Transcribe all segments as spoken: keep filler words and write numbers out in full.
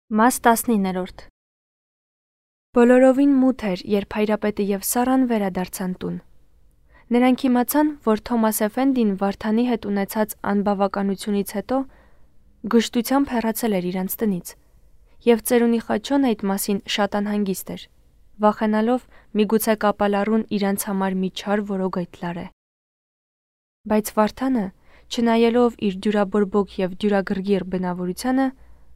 Մաս տասնիններորդ Բոլորովին մութ էր, երբ հայրապետը և Սառան վերադարձան տուն։ Նրանք իմացան, որ Թոմաս Էֆենդին Վարդանի հետ ունեցած անբավականությունից հետո գժտությամբ հեռացել էր իրանց տնից, և ծերունի Խաչոն այդ մասին շատ անհանգիստ էր, վախենալով միգուցե կապալառուն իրանց համար մի չար որոգ լարե։ Բայց Վարդանը, չնայելով իր դյուրաբորբոք և դյուրագրգիռ բնավորությանը,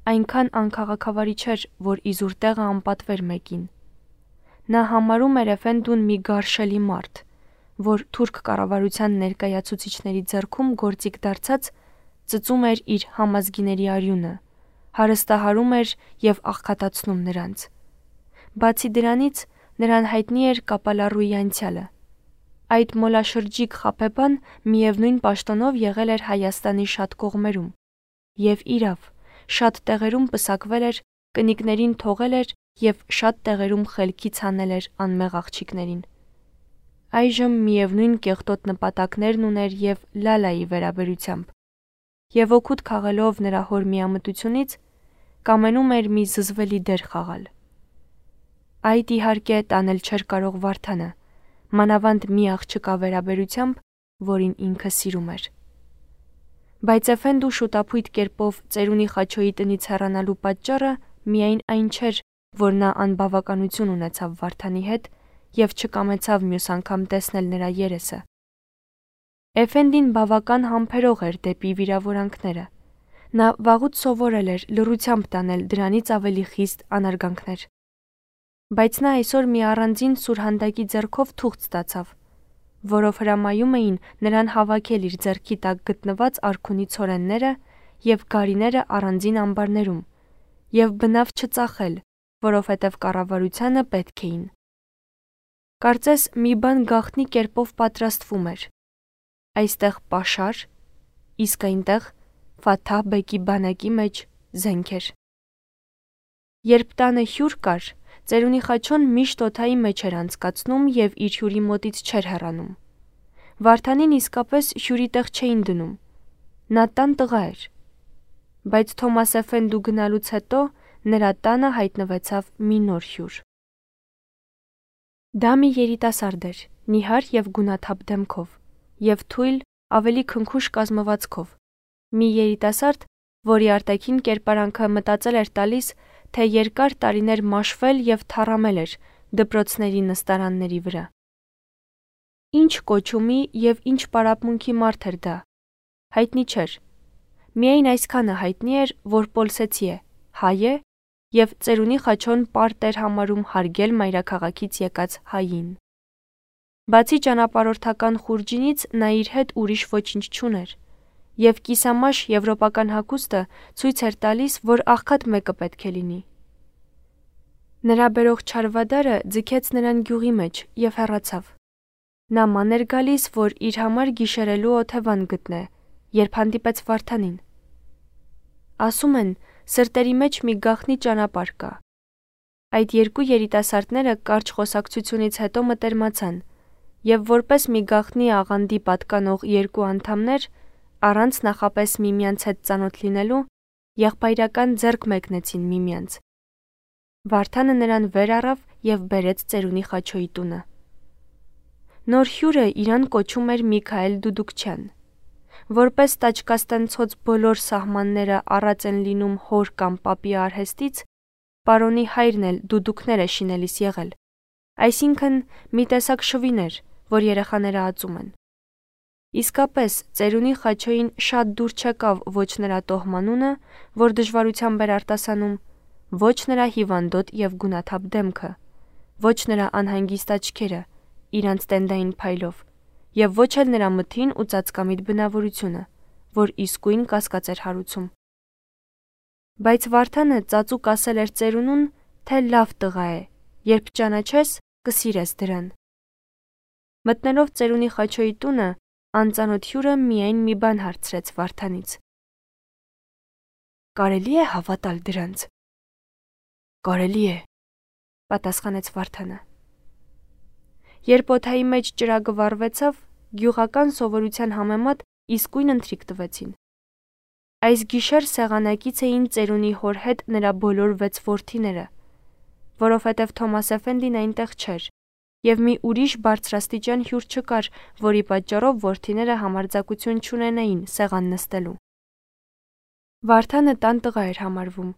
այնքան անքաղաքավարի չէր, որ իզուր տեղը անպատվեր մեկին։ Նա համարում էր Էֆենդուն մի գարշելի մարդ, որ թուրք կառավարության ներկայացուցիչների ձեռքում գործիք դարձած ծծում էր իր համազգիների արյունը, հարստահարում էր և աղքատացնում նրանց։ Բացի դրանից, նրան հայտնի էր կապալառուի անցյալը։ Այդ մոլաշրջիկ խաբեբան միևնույն պաշտոնով եղել էր Հայաստանի շատ կողմերում, և իրավ, շատ տեղերում պսակվել էր, կնիկներին թողել էր և շատ տեղերում խելքից հանել էր անմեղ աղջիկներին։ Այժմ միևնույն կեղտոտ նպատակներն ուներ և Լալայի վերաբերությամբ, և օգուտ քաղելով նրա հոր միամտությունից, կամենում էր մի զզվելի դեր խաղալ։ Այդ իհարկե տանել չէր կարող Վարդանը, մանավանդ մի աղջկա վերաբերությամբ, որին ինքը սիրում էր։ Բայց Էֆենդու շուտափույթ կերպով ծերունի Խաչոյի տնից հեռանալու պատճառը միայն այն չէր, որ նա անբավականություն ունեցավ Վարդանի հետ և չկամեցավ մյուս անգամ տեսնել նրա երեսը։ Էֆենդին բավական համբերող էր դեպի վիրավորանքները։ Նա վաղուց սովորել էր լռությամբ տանել դրանից ավելի խիստ անարգանքներ։ Բայց նա այսօր մի առանձին սուրհանդակի ձեռքով թուղթ ստացավ, որով հրամայում էին նրան հավաքել իր ձեռքի տակ գտնված արքունի ցորենները և գարիները առանձին ամբարներում և բնավ չծախել, որովհետև կառավարությանը պետք էին։ Կարծես մի բան գաղտնի կերպով պատրաստվում էր։ Այստեղ պաշար, իսկ այնտեղ Ֆաթահ բեկի բանակի մեջ զենք էր։ Երբ տանը հյուր կար, ծերունի Խաչոն միշտ օդայի մեջ էր անցկացնում և իր հյուրի մոտից չէր հեռանում։ Վարդանին իսկապես հյուրի տեղ չէին դնում։ Նա տան տղա էր։ Բայց Թոմաս Էֆենդու գնալուց հետո նրա տանը հայտնվեցավ մի նոր հյուր։ Դա մի երիտասարդ էր, նիհար և գունաթափ դեմքով, և թույլ, ավելի քնքուշ կազմվածքով, մի երիտասարդ, որի արտաքին կերպարանքը մտածել էր տալիս, թե երկար տարիներ մաշվել և թառամել էր դպրոցների նստարանների վրա։ Ինչ կոչումի և ինչ պարապմունքի մարդ էր դա, հայտնի չէր։ Միայն այսքանը հայտնի էր, որ պոլսեցի է, հայ է, և ծերունի Խաչոն պարտ էր համարում հարգել մայրաքաղաքից եկած հային։ Բացի ճանապարհորդական խուրջինից նա իր հետ ուրիշ ոչինչ չուներ, և կիսամաշ եվրոպական հագուստը ցույց էր տալիս, որ աղքատ մեկը պետք է լինի։ Նրա բերող չարվադարը ձգեց նրան գյուղի մեջ և հեռացավ։ Նա ման էր գալիս, որ իր համար գիշերելու օթևան գտնե, երբ հանդիպեց Վարդանին։ Ասում են, սրտերի մեջ մի գաղտնի ճանապարհ կա։ Այդ երկու երիտասարդները կարճ խոսակցությունից հետո մտերմացան, և որպես մի գաղտնի աղանդի պատկանող երկու անդամներ, առանց նախապես միմյանց հետ ծանոթ լինելու, եղբայրական ձեռք մեկնեցին միմյանց։ Վարդանը նրան վեր առավ և բերեց ծերունի Խաչոյի տունը։ Նոր հյուրը իրան կոչում էր Միքայել Դուդուկչյան։ Որպես տաճկաստանցոց բոլոր սահմանները առած են լինում հոր կամ պապի արհեստից, պարոնի հայրն էլ դուդուկներ է շինելիս եղել, այսինքն մի տեսակ շվին էր, որ երեխաները ածում են։ Իսկապես, ծերունի Խաչոյին շատ դուր չեկավ ոչ նրա տոհմանունը, որ դժվարությամբ էր արտասանում, ոչ նրա հիվանդոտ և գունաթափ դեմքը, ոչ նրա անհանգիստ աչքերը, իրանց տենդային փայլով, և ոչ էլ նրա մթին ու ծածկամիտ բնավորությունը, որ իսկույն կասկած էր հարուցում։ Բայց Վարդանը ծածուկ ասել էր ծերունուն, թե լավ տղա է, երբ ճանաչես, կսիրես դրան։ Մտնելով ծերունի Խաչոյի տունը, անծանոթ հյուրը միայն մի բան հարցրեց Վարդանից. «Կարելի է հավատալ դրանց»։ «Կարելի է», պատասխանեց Վարդանը։ Երբ օդայի մեջ ճրագը վառվեցավ, գյուղական սովորության համեմատ իսկույն ընթրիք տվեցին։ Այս գիշեր սեղանակից էին ծերունի հոր հետ նրա բոլոր վեց որդիները, որովհետև Թոմաս Էֆենդին այնտեղ չէր, և մի ուրիշ բարձրաստիճան հյուր չկար, որի պատճառով որդիները համարձակություն չունենային սեղան նստելու։ Վարդանը տան տղա էր համարվում,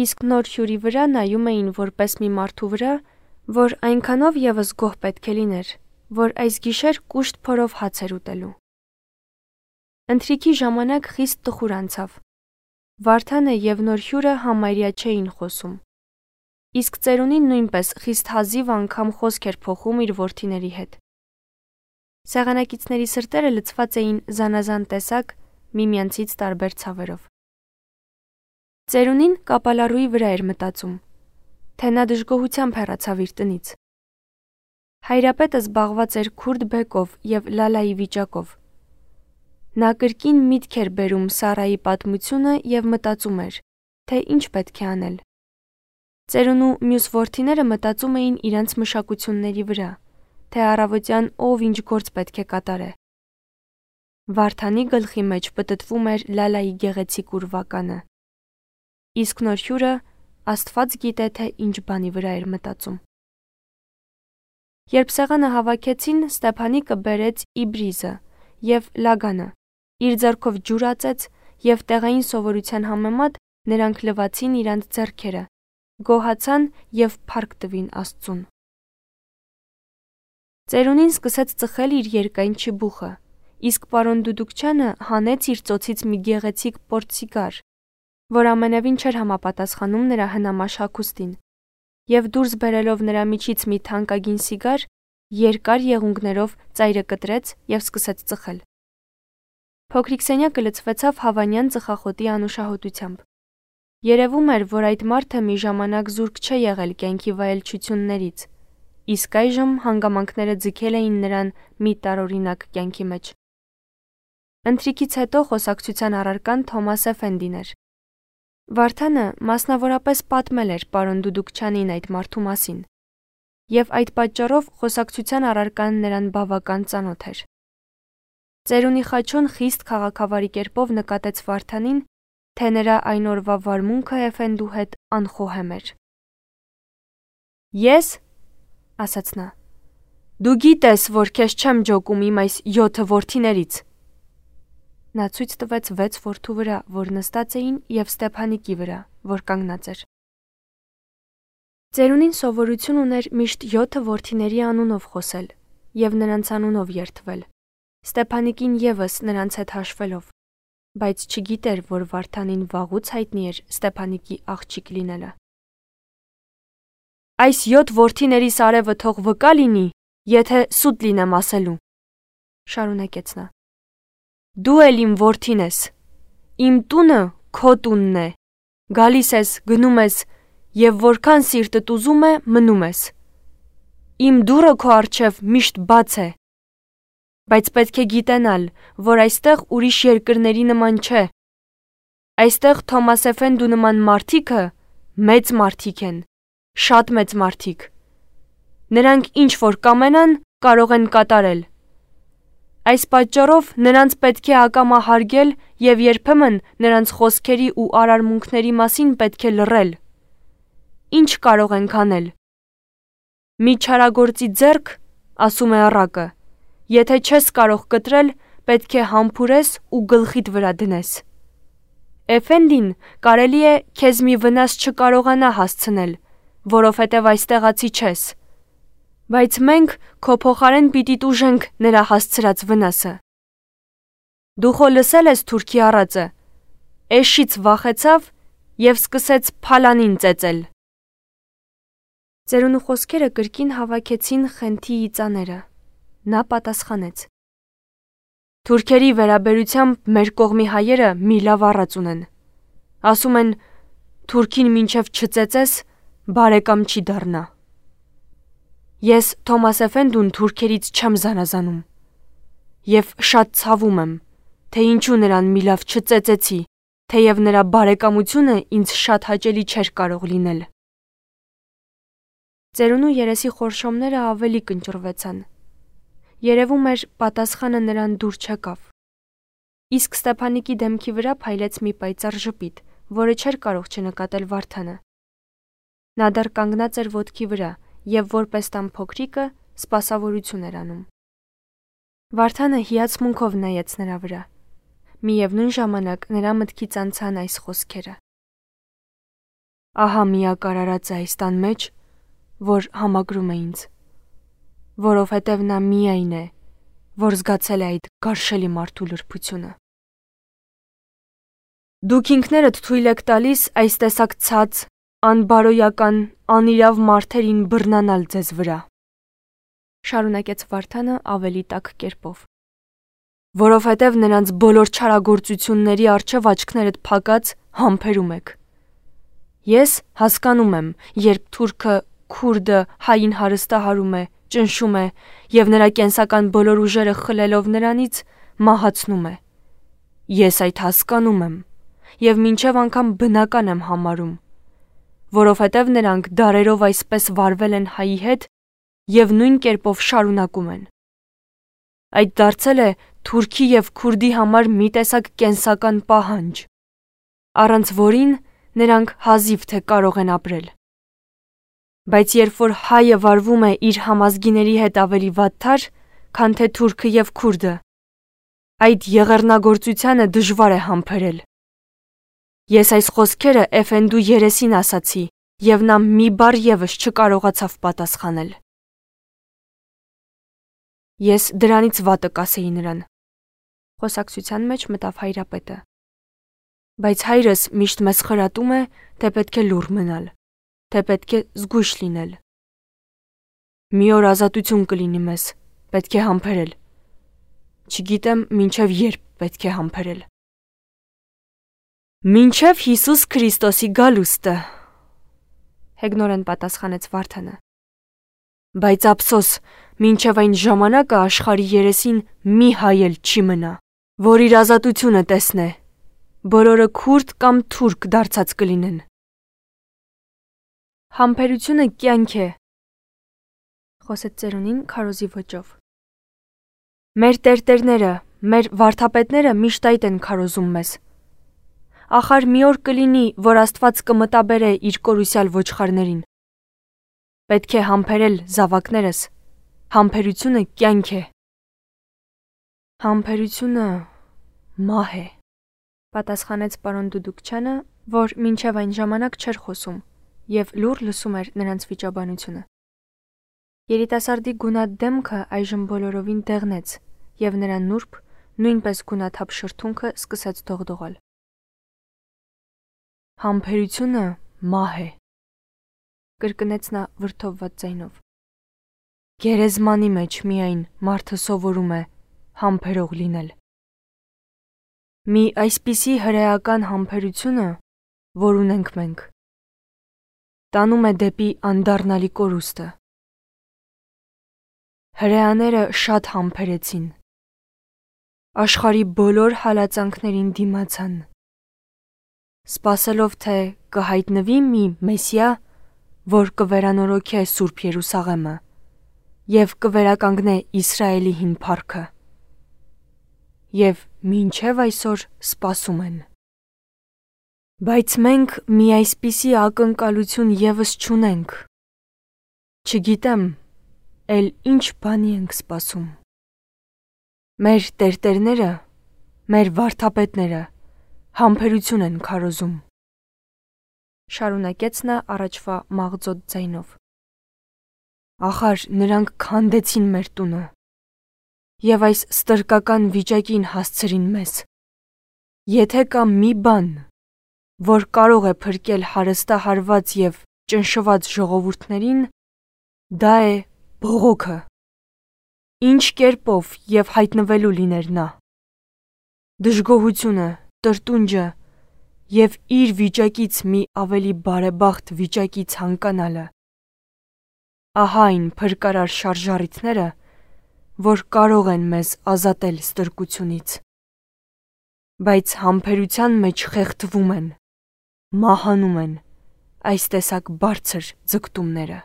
իսկ նոր հյուրի վրա նայում էին որպես մի մարդու վրա, որ այնքանով ևս գոհ պետք է լիներ, որ այս գիշեր կուշտ փորով հաց էր ուտելու։ Ընթրիքի ժամանակ խիստ տխուր անցավ։ Վարդանը և նոր հյուրը համարյա չէին խոսում։ Իսկ ծերունին նույնպես խիստ հազիվ անգամ խոսք էր փոխում իր որդիների հետ։ Սեղանակիցների սրտերը լցված էին զանազան տեսակ միմյանցից տարբեր ցավերով։ Ծերունին կապալառուի վրա էր մտածում, թե նա դժգոհությամբ հեռացավ իր տնից։ Հայրապետը զբաղված էր քուրդ բեկով և Լալայի վիճակով։ Նա կրկին միտք էր բերում Սարայի պատմությունը և մտածում էր, թե ինչ պետք է անել։ Ծերունու մյուս որդիները մտածում էին իրենց մշակությունների վրա, թե առավոտյան ով ինչ գործ պետք է կատարե։ Վարդանի գլխի մեջ պտտվում էր Լալայի գեղեցիկ ուրվականը։ Իսկ նոր հյուրը Աստված գիտե, թե ինչ բանի վրա էր մտածում։ Երբ սեղանը հավաքեցին, Ստեփանիկը բերեց իբրիզը և լագանը, իր ձեռքով ջուր ածեց և տեղային սովորության համեմատ նրանք լվացին իրանց ձեռքերը, գոհացան և փառք տվին Աստծուն։ Ծերունին սկսեց ծխել իր երկայն չիբուխը, իսկ պարոն Դուդուկչյանը հանեց իր ծոցից մի գեղեցիկ պորտսիգար, որ ամենևին չէր համապատասխանում նրա հնամաշ հագուստին, և դուրս բերելով նրա միջից մի թանկագին սիգար, երկար եղունգներով ծայրը կտրեց և սկսեց ծխել։ Փոքրիկ սենյակը լցվեցավ հավանյան ծխախոտի անուշահոտությամբ։ Երևում էր, որ այդ մարդը մի ժամանակ զուրկ չէ եղել կյանքի վայելչություններից, իսկ այժմ հանգամանքները ձգել էին նրան մի տարօրինակ կյանքի մեջ։ Ընթրիքից հետո խոսակցության առարկան Թոմաս Էֆենդին էր։ Վարդանը մասնավորապես պատմել էր պարոն Դուդուկչյանին այդ մարդու մասին, և այդ պատճառով խոսակցության առարկան նրան բավական ծանոթ էր։ Ծերունի Խաչոն խիստ քաղաքավարի կերպով նկատեց Վարդանին, թե նրա այն օրվա վարմունքը Էֆենդու հետ անխոհեմ էր։ Ես, ասաց նա, դու գիտես, որ քեզ չեմ ջոկում իմ այս յոթը որդիներից։ Նա ցույց տվեց վեց որդու վրա, որ նստած էին, և Ստեփանիկի վրա, որ կանգնած էր։ Ծերունին սովորություն ուներ միշտ յոթը որդիների անունով խոսել և նրանց անունով երդվել, Ստեփանիկին ևս նրանց հետ հաշվելով, բայց չգիտեր, որ Վարդանին վաղուց հայտնի էր Ստեփանիկի աղջիկ լինելը։ Այս յոթ որդիներիս արևը թող վկա լինի, եթե սուտ լինեմ ասելու, շարունակեց նա։ Դու էլ իմ որդին ես, իմ տունը քո տունն է, գալիս ես, գնում ես և որքան սիրտդ ուզում է, մնում ես։ Իմ դուռը քո առջև միշտ բաց է, բայց պետք է գիտենալ, որ այստեղ ուրիշ երկրների նման չէ։ Այստեղ Թոմաս Էֆենդու նման մարդիկը մեծ մարդիկ են, շատ մեծ մարդիկ։ Նրանք ինչ որ կամենան, կարող են կատարել։ Այս պատճառով նրանց պետք է ակամա հարգել և երբեմն նրանց խոսքերի ու արարմունքների մասին պետք է լռել։ Ինչ կարող ենք անել։ Մի չարագործի ձեռք, ասում է առակը, եթե չես կարող կտրել, պետք է համբուրես ու գլխիդ վրա դնես։ Էֆենդին կարելի է քեզ մի վնաս չկարողանա հասցնել, որովհետև այստեղացի չես, բայց մենք քո փոխարեն պիտի տուժենք նրա հասցրած վնասը։ Դու խո լսել ես թուրքի առածը, էշից վախեցավ և սկսեց փալանին ծեծել։ Ծերունու խոսքերը կրկին հավաքեցին Խենթիի ծաները։ Նա պատասխանեց. Թուրքերի վերաբերությամբ մեր կողմի հայերը մի լավ առած ունեն։ Ասում են, թուրքին մինչև չծեծես, բարեկամ չի դառնա։ Ես Թոմաս Էֆենդուն թուրքերից չեմ զանազանում և շատ ցավում եմ, թե ինչու նրան մի լավ չծեծեցի, թեև նրա բարեկամությունը ինձ շատ հաճելի չէր կարող լինել։ Ծերունու երեսի խորշոմները ավելի կնճռվեցան։ Երևում էր, պատասխանը նրան դուր չեկավ։ Իսկ Ստեփանիկի դեմքի վրա փայլեց մի պայծառ ժպիտ, որը չէր կարող չնկատել Վարդանը։ Նա դեռ կանգնած էր ոտքի վրա եւ որպես տան փոքրիկը սպասավորություն էր անում։ Վարդանը հիացմունքով նայեց նրա վրա։ Միևնույն ժամանակ նրա մտքից անցան այս խոսքերը. Ահա միակ արարածը այս տան մեջ, որ համակրում է ինձ, որովհետև նա միայն է, որ զգացել է այդ գարշելի մարդու լրբությունը։ Դուք ինքներդ թույլ եք տալիս այս տեսակ ցած, անբարոյական, անիրավ մարդերին բռնանալ ձեզ վրա, շարունակեց Վարդանը ավելի տաք կերպով, որովհետև նրանց բոլոր չարագործությունների առջև աչքներդ փակած համբերում եք։ Ես հասկանում եմ, երբ թուրքը, քուրդը հային հարստահարում է, ճնշում է եւ նրա կենսական բոլոր ուժերը խլելով նրանից մահացնում է։ Ես այդ հասկանում եմ եւ մինչեւ անգամ բնական եմ համարում, որովհետև նրանք դարերով այսպես վարվել են հայի հետ եւ նույն կերպով շարունակում են։ Այդ դարձել է թուրքի եւ քուրդի համար մի տեսակ կենսական պահանջ, առանց որին նրանք հազիվ թե կարող են ապրել։ Բայց երբ որ հայը վարվում է իր համազգիների հետ ավելի վատթար, քան թե թուրքը եւ քուրդը, այդ եղեռնագործությանը դժվար է համբերել։ Ես այս խոսքերը Էֆենդու երեսին ասացի, եւ նա մի բառ եւս չկարողացավ պատասխանել։ Ես դրանից վատը կասեի նրան, խոսակցության մեջ մտավ հայրապետը։ Բայց հայրս միշտ մեզ խրատում է, թե պետք է լուռ մնալ, թե պետք է զգույշ լինել։ Մի օր ազատություն կլինի մեզ, պետք է համբերել։ Չգիտեմ մինչև երբ պետք է համբերել։ Մինչև Հիսուս Քրիստոսի գալուստը, հեգնորեն պատասխանեց Վարդանը։ Բայց ափսոս, մինչև այն ժամանակը աշխարհի երեսին մի հայ էլ չի մնա, որ իր ազատությունը տեսնե, բոլորը քուրդ կամ թուրք դարձած կլինեն։ Համբերությունը կյանք է, խոսեց ծերունին քարոզի ոճով։ Մեր տերտերները, մեր վարդապետները միշտ այդ են քարոզում մեզ։ Ախար մի օր կլինի, որ Աստված կմտաբերե իր կորուսյալ ոչխարներին։ Պետք է համբերել զավակներս, համբերությունը կյանք է։ Համբերությունը մահ է, պատասխանեց պարոն Դուդուկչյանը, որ մինչև այն ժամանակ չէր խոսում եւ լուռ լսում էր նրանց վիճաբանությունը։ Երիտասարդի գունատ դեմքը այժմ բոլորովին դեղնեց եւ նրա նուրբ, նույնպես գունաթափ շրթունքը սկսեց դողդողալ։ Համբերությունը մահ է, կրկնեց նա վրդովված ձայնով։ Գերեզմանի մեջ միայն մարդը սովորում է համբերող լինել։ Մի այսպիսի հրեական համբերությունը, որ ունենք մենք, տանում է դեպի անդառնալի կորուստը։ Հրեաները շատ համբերեցին, աշխարհի բոլոր հալածանքներին դիմացան, սպասելով թե կհայտնվի մի Մեսիա, որ կվերանորոգե Սուրբ Երուսաղեմը եւ կվերականգնե Իսրայելի հին փառքը։ Եվ մինչև այսօր սպասում են։ Բայց մենք մի այսպիսի ակնկալություն եւս չունենք։ Չգիտեմ, էլ ինչ բանի ենք սպասում։ Մեր տերտերները, մեր վարդապետները համբերություն են քարոզում։ Շարունակեց նա առաջվա մաղձոտ ձայնով։ Ախար նրանք քանդեցին մեր տունը եւ այս ստրկական վիճակին հասցրին մեզ։ Եթե կա մի բան, որ կարող է փրկել հարստահարված եւ ճնշված ժողովուրդներին, դա է բողոքը։ Ինչ կերպով եւ հայտնվելու լիներ նա։ Դժգոհությունը, տրտունջը եւ իր վիճակից մի ավելի բարեբախտ վիճակի ցանկանալը։ Ահա այն փրկարար շարժառիթները, որ կարող են մեզ ազատել ստրկությունից։ Բայց համբերության մեջ խեղդվում են, մահանում են այս տեսակ բարձր ձգտումները։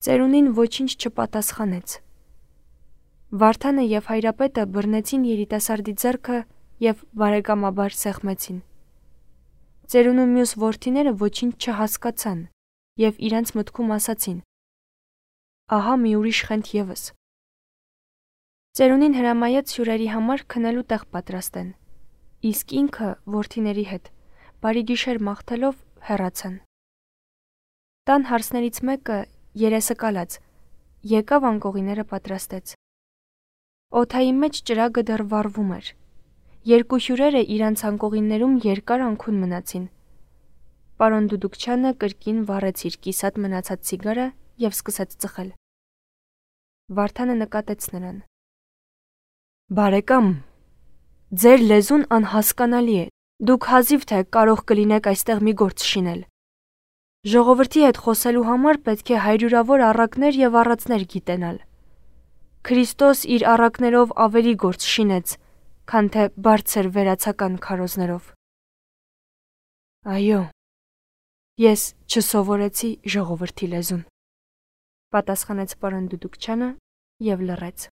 Ծերունին ոչինչ չպատասխանեց։ Վարդանը և հայրապետը բռնեցին երիտասարդի ձեռքը և բարեկամաբար սեղմեցին։ Ծերունու մյուս որդիները ոչինչ չհասկացան և իրենց մտքում ասացին. ահա մի ուրիշ խենթ ևս։ Ծերունին հրամայեց հյուրերի համար քնելու տեղ պատրաստեն, իսկ ինքը որդիների հետ բարի գիշեր մաղթելով հեռացան։ Տան հարսներից մեկը երեսը կալած եկավ անկողիները պատրաստեց։ Օդայի մեջ ճրագը դեռ վառվում էր։ Երկու հյուրերը իրանց անկողիններում երկար անքուն մնացին։ Պարոն Դուդուկչյանը կրկին վառեց իր կիսատ մնացած ցիգարը և սկսեց ծխել։ Վարդանը նկատեց նրան. Բարեկամ, ձեր լեզուն անհասկանալի է, դուք հազիվ թե կարող կլինեք այստեղ մի գործ շինել։ Ժողովրդի հետ խոսելու համար պետք է հարյուրավոր առակներ և առածներ գիտենալ։ Քրիստոս իր առակներով ավելի գործ շինեց, քան թե բարձր վերացական քարոզներով։ Այո, ես չսովորեցի ժողովրդի լեզուն, պատասխանեց պարոն Դուդուկչյանը և լռեց։